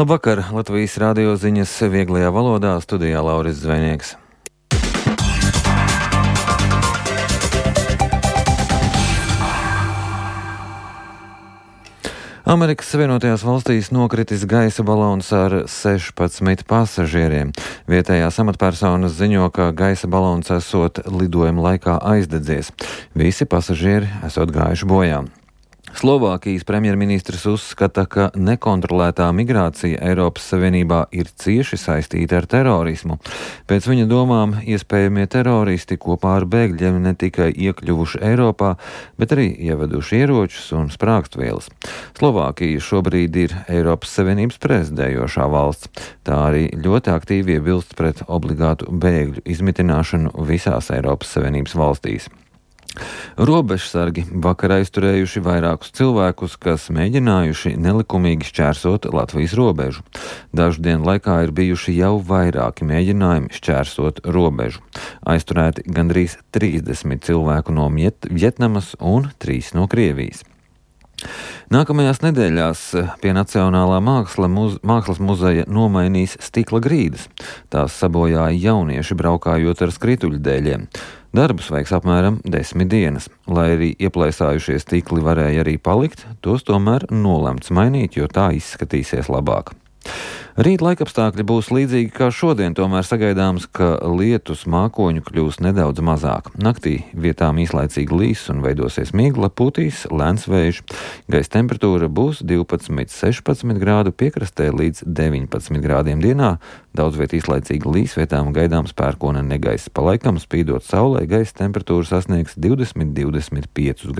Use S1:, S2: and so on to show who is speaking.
S1: Labvakar! Latvijas radio ziņas vieglajā valodā, studijā Lauris Zvejnieks. Amerikas Savienotajās valstīs nokritis gaisa balons ar 16 pasažieriem. Vietējās amatpersonas ziņo, ka gaisa balons esot lidojuma laikā aizdedzies. Visi pasažieri esot gājuši bojā. Slovākijas premjerministrs uzskata, ka nekontrolētā migrācija Eiropas Savienībā ir cieši saistīta ar terorismu. Pēc viņa domām, iespējamie teroristi kopā ar bēgļiem ne tikai iekļuvuši Eiropā, bet arī ieveduši ieročus un sprāgstvielas. Slovākija šobrīd ir Eiropas Savienības prezidējošā valsts. Tā arī ļoti aktīvi iebilst pret obligātu bēgļu izmitināšanu visās Eiropas Savienības valstīs. Robežsargi vakar aizturējuši vairākus cilvēkus, kas mēģinājuši nelikumīgi šķērsot Latvijas robežu. Dažu dienu laikā ir bijuši jau vairāki mēģinājumi šķērsot robežu. Aizturēti gandrīz 30 cilvēku no Vietnamas un 3 no Krievijas. Nākamajās nedēļās pie Nacionālā mākslas muzeja nomainīs stikla grīdas. Tās sabojāja jaunieši braukājot ar skrituļdēļiem. Darbus veiks apmēram 10 dienas. Lai arī ieplēsājušie stikli varēja arī palikt, tos tomēr nolemts mainīt, jo tā izskatīsies labāk. Rīt laikapstākļi būs līdzīgi kā šodien, tomēr sagaidāms, ka lietus mākoņu kļūs nedaudz mazāk. Naktī vietām īslaicīgi līs un veidosies migla, putīs lēns vējš. Gaisa temperatūra būs 12–16 grādu, piekrastē līdz 19 grādiem dienā. Daudz viet īslaicīgi līs, vietām gaidāms pērkona negaiss. Pa laikam spīdot saulē, gaisa temperatūra sasniegs 20–25 grādus.